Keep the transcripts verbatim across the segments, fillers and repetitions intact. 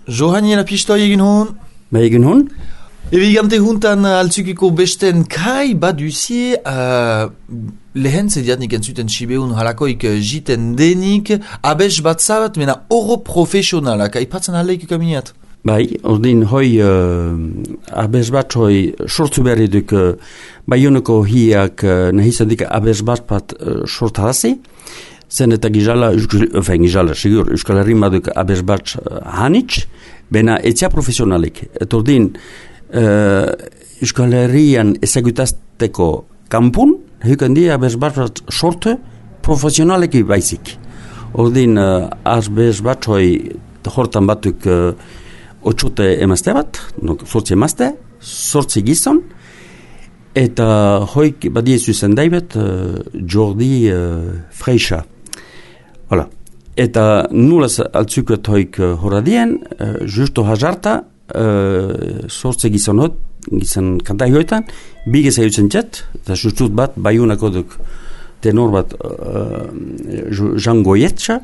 Johaniela pistoi egin hon? Ba egin hon? Ebigante juntan altzukiko besten kai baduzie uh, lehen zediat nik entzuten sibeun halakoik jiten denik abes bat zabat mena oro profesionalak aipatzen aleik kaminiat. Bai, ordin hoi uh, abes bat hoi sortu berri duk uh, Baioneko hiak uh, nahizadik abes bat bat uh, sortarazi. Zen eta gizala, enfin gizala, sigur, Euskal Herri maduk abes bat uh, hanitz, bena etzia profesionalik. Et ordin, uh, Euskal Herrian ezagutazteko kampun, hukan di abes bat bat sortu profesionaleki baizik. Ordin, uh, abes bat hoi hortan batuk uh, otxote emazte bat, no, sortzi emazte, sortzi gizon, eta hoik badiezu zen daibet uh, Jordi uh, Freixa. Hala. Eta nulaz altzuket hoik uh, horadien, uh, justo hajarta, uh, sortzi gizon hot, gizon kantai hoetan, bigez ayutzen txet, eta justut bat, baiunako duk tenor bat uh, Jean Goyetxa,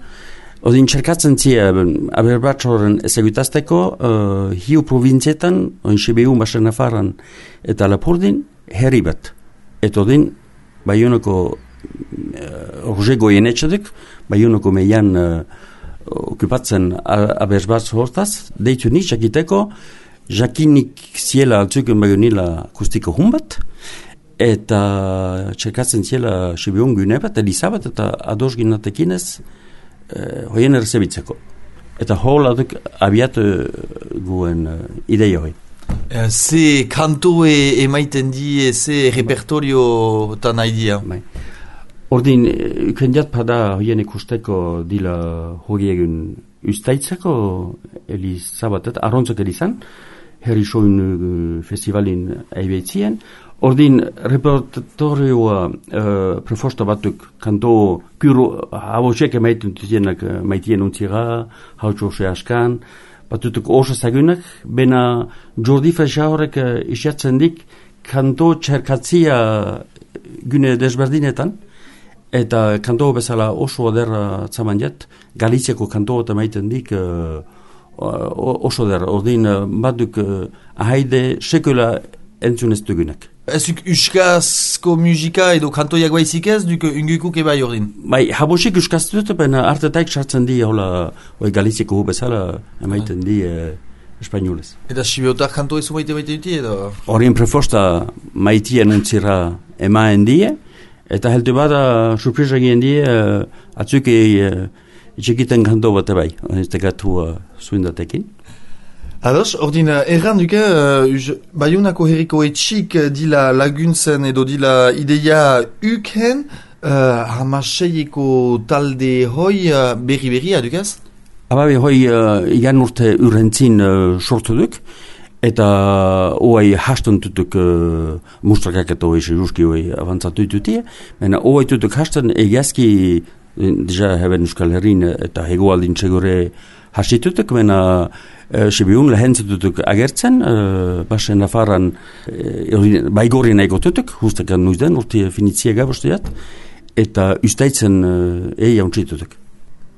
odin txerkatzen zia, aberbat horren ezagutazteko, uh, hiu provintzietan, oin Sibiu, Basen Nafarran, eta Lapurdin, herri bat. Eta odin, Baionako uh, Roger Goyenetxaduk, Baionako meian uh, okupatzen abersbat hortaz, deitu nik jakiteko, jakinik ziela altzuken Baionila kustiko humbat, eta txerkatzen ziela Sibiun gune bat, Elizabat, eta ados ginatekinez, uh, hoien errezebitzeko. Eta holaduk abiatu guen uh, ideia hoi. Uh, ze kanto e, emaiten di, ze repertorio tan haidia? Bai. Ordin, kendiat pada hoien ikusteko dila hori egun ustaitzeko Elizabatet, arrontzak elizan, herri soin uh, festivalin aibeitzien. Ordin, repertorioa uh, prefosta batuk kanto kuru habosek emaiten tuzienak uh, maitien untzira, hautxose askan, batutuk oso zagunak, bena Jordi Freixa horrek uh, isiatzen dik kanto txerkatzia gune desberdinetan, eta kanto bezala oso aderra tzaman jet, Galiziako kanto eta maiten dik uh, oso aderra, ordin uh, batuk uh, ahaide sekula entzunez dugunak. Ezuk Euskazko musika edo kantoiak baizik ez, duk ungukuk eba jordin? Bai, habosik Euskaztu dut, bena artetaik sartzen di, hola, oi Galiziako hu bezala, emaiten di eh, espainolez. Eta Sibiotar kanto ezu maite maite duti edo? Horien prefosta maitien untzira emaen die, eta heldu bada surpresa gien die, uh, atzuke uh, itxekiten kanto bat ebai, ez tegatu uh, zuindatekin. Ados, ordin, erran duke, uh, Baionako herriko etxik dila laguntzen edo dila ideia uken, uh, hamaseieko talde hoi uh, berri-berri adukaz? Ababe hoi uh, igan urte urrentzin uh, sortu duk, eta oai hasten tutuk uh, mustrakak eta oai sejuski oai avantzatu ditutie, mena oai tutuk hasten egiazki, deja heben Euskal Herrin eta hegoaldin txegore hastitutuk, mena uh, Sibiun lehentzututuk agertzen, uh, Basen Nafarran uh, baigorri nahiko tutuk, hustakan nuizden, urte finitzia gabosteat, eta ustaitzen uh, eia untsitutuk.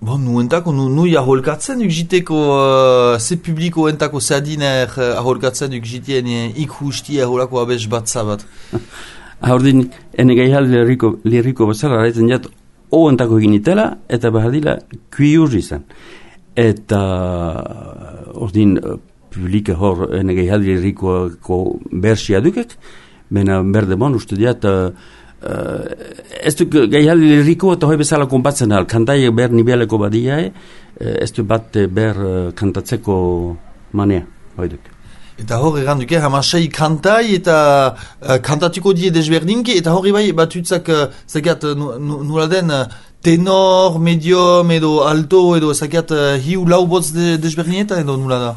Bon, nuentako, nu, nu aholkatzen ukjiteko, uh, ze publiko entako zadiner uh, aholkatzen ukjitien uh, ikusti aholako abes bat zabat. Haurdin, ene gaihal liriko, liriko bazala, raitzen jat, oentako ginitela, eta bahadila kuiur izan. Eta, ordin, uh, publika hor, ene gaihal liriko bersia dukek, bena berdemon, uste diat, uh, Uh, ez du gaihal liriko eta hoi bezala konpatzen al, kantai ber nibeleko badiae, uh, ez du bat ber uh, kantatzeko manea, hoi duk. Eta hor egan duke, hamasei kantai eta uh, kantatuko die desberdinki, eta hori bai batutzak, uh, zakat, uh, nula den, uh, tenor, medium edo alto edo zakat, uh, hiu lau botz de, desberdinetan edo nula da?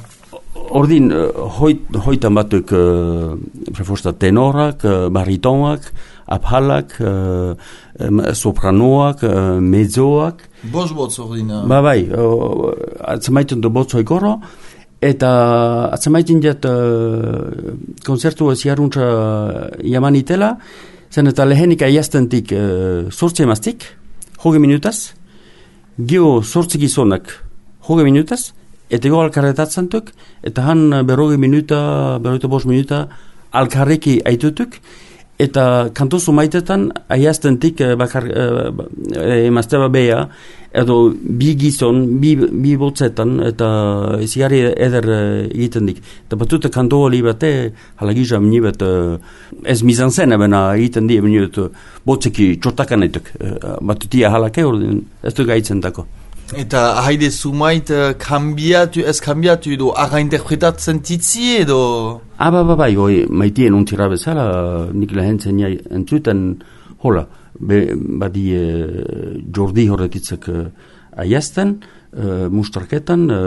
Ordin, uh, hoit, hoitan batuk uh, prefosta tenorak, uh, baritonak, abhalak, uh, um, sopranoak, uh, mezzoak. Bos botz ordin. Uh. Ba bai, uh, atzamaiten du botz hoikoro, eta atzamaiten jat uh, konzertu ziaruntza jamanitela, zen eta lehenik aiaztentik uh, sortzi emaztik, hoge minutaz, gio sortzi gizonak hoge minutaz, eta ego alkarretatzen duk, eta han berrogi minuta, berroita bost minuta alkarreki aitutuk, eta kantozu maitetan aiaztentik bakar emazteba beha, edo bi gizon, bi, bi botzetan, eta zigari eder egiten dik. Eta batute kanto hori bate, halagisa minibet, ez mizan zen ebena egiten di, minibet botzeki txortakan etuk. Batutia halake hori, ez du gaitzen dako. Eta haide sumait kambiatu, ez kambiatu edo aga interpretatzen titzi edo... Ah, ba, ba, ba, hoi, maitien untira bezala, nik lehen zen entzuten, hola, be, badi e, jordi horretitzek e, aiazten, e, mustarketan, e,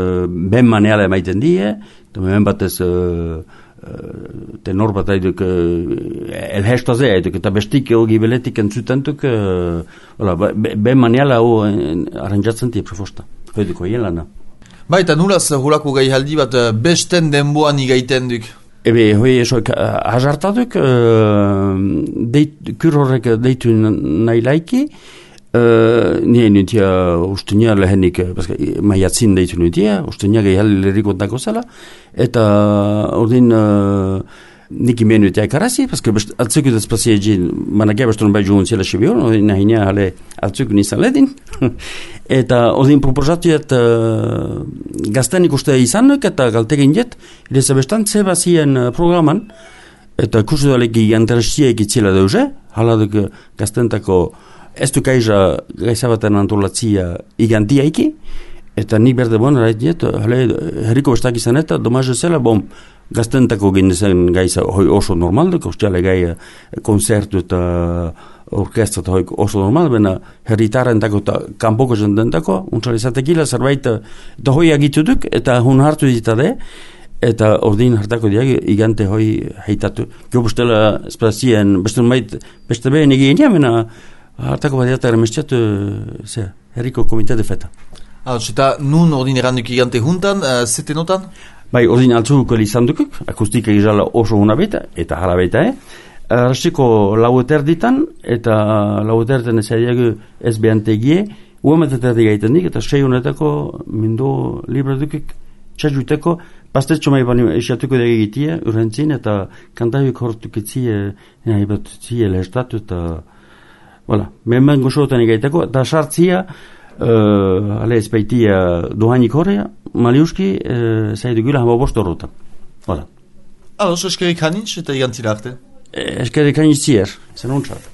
ben maneala emaiten die, eta ben batez e, e, tenor bat haiduk e, elhestazea haiduk, eta bestik hogi beletik entzutentuk, e, hola, ben maneala ho aranjatzen die prefosta, hoiduko hien lana. Ba, eta nulaz hulako gai haldi bat besten denboan igaiten duk? Ebe, hoi esoik, hazartaduk, uh, deit, kur horrek deitu nahi laiki, uh, nien nutia ustenia lehenik, maiatzin deitu nutia, ustenia gehi haleriko dako zela, eta ordin uh, nik imen nutia ekarazi, paske atzuk dut espazia egin, manakia bestun bai juhun zela sibion, ordin nahinia hale atzuk nizan ledin, eta ordin proposatuet uh, gaztenik uste izanuk eta galtegin jet, ireza bestan zeba zien uh, programan, eta kursu daleki interesia egitzela deuze, haladuk uh, gaztentako ez du kaiza gaizabaten antolatzia igantia eki, eta nik berde bon, rait jet, hale, herriko bestak izan eta, domaz zela, bom, gaztentako ginezen gaiza hoi oso normalduk, ostiale gai konzertu eta orkestra eta hoi oso normal, bena herritarentako eta kanpoko jendentako, untzalizatekila zerbait, eta hoi agituduk, eta hun hartu ditade, eta ordin hartako diag igante hoi heitatu. Gio bustela espazien, beste mait, beste behin egin jamena, hartako badiata ermestiatu, ze, herriko komite de feta. Ah, eta nun ordin eranduk igante juntan, uh, zete notan? Bai, ordin altzuko izan dukuk, akustika izala oso huna beta, eta jala beta, eh? Arrasiko laueter ditan, eta laueterten ez adiago ez behantegie, uameteterdi gaiten dik, eta sei honetako mindo libra dukik, txasuteko, pastetxo mai bani esiatuko dege egitia, urrentzin, eta kantaik hortukitzie, nahi bat zie lehestatu, eta, voilà, menben gozotan egaiteko, eta sartzia, Uh, ale ezpeitia dohainik horrea, maliuski uh, zaidu gula hama bost horretan. Voilà. Ados, eskerik hanitz eta igantzila arte. Eskerik hanitz zier, zen ontsak.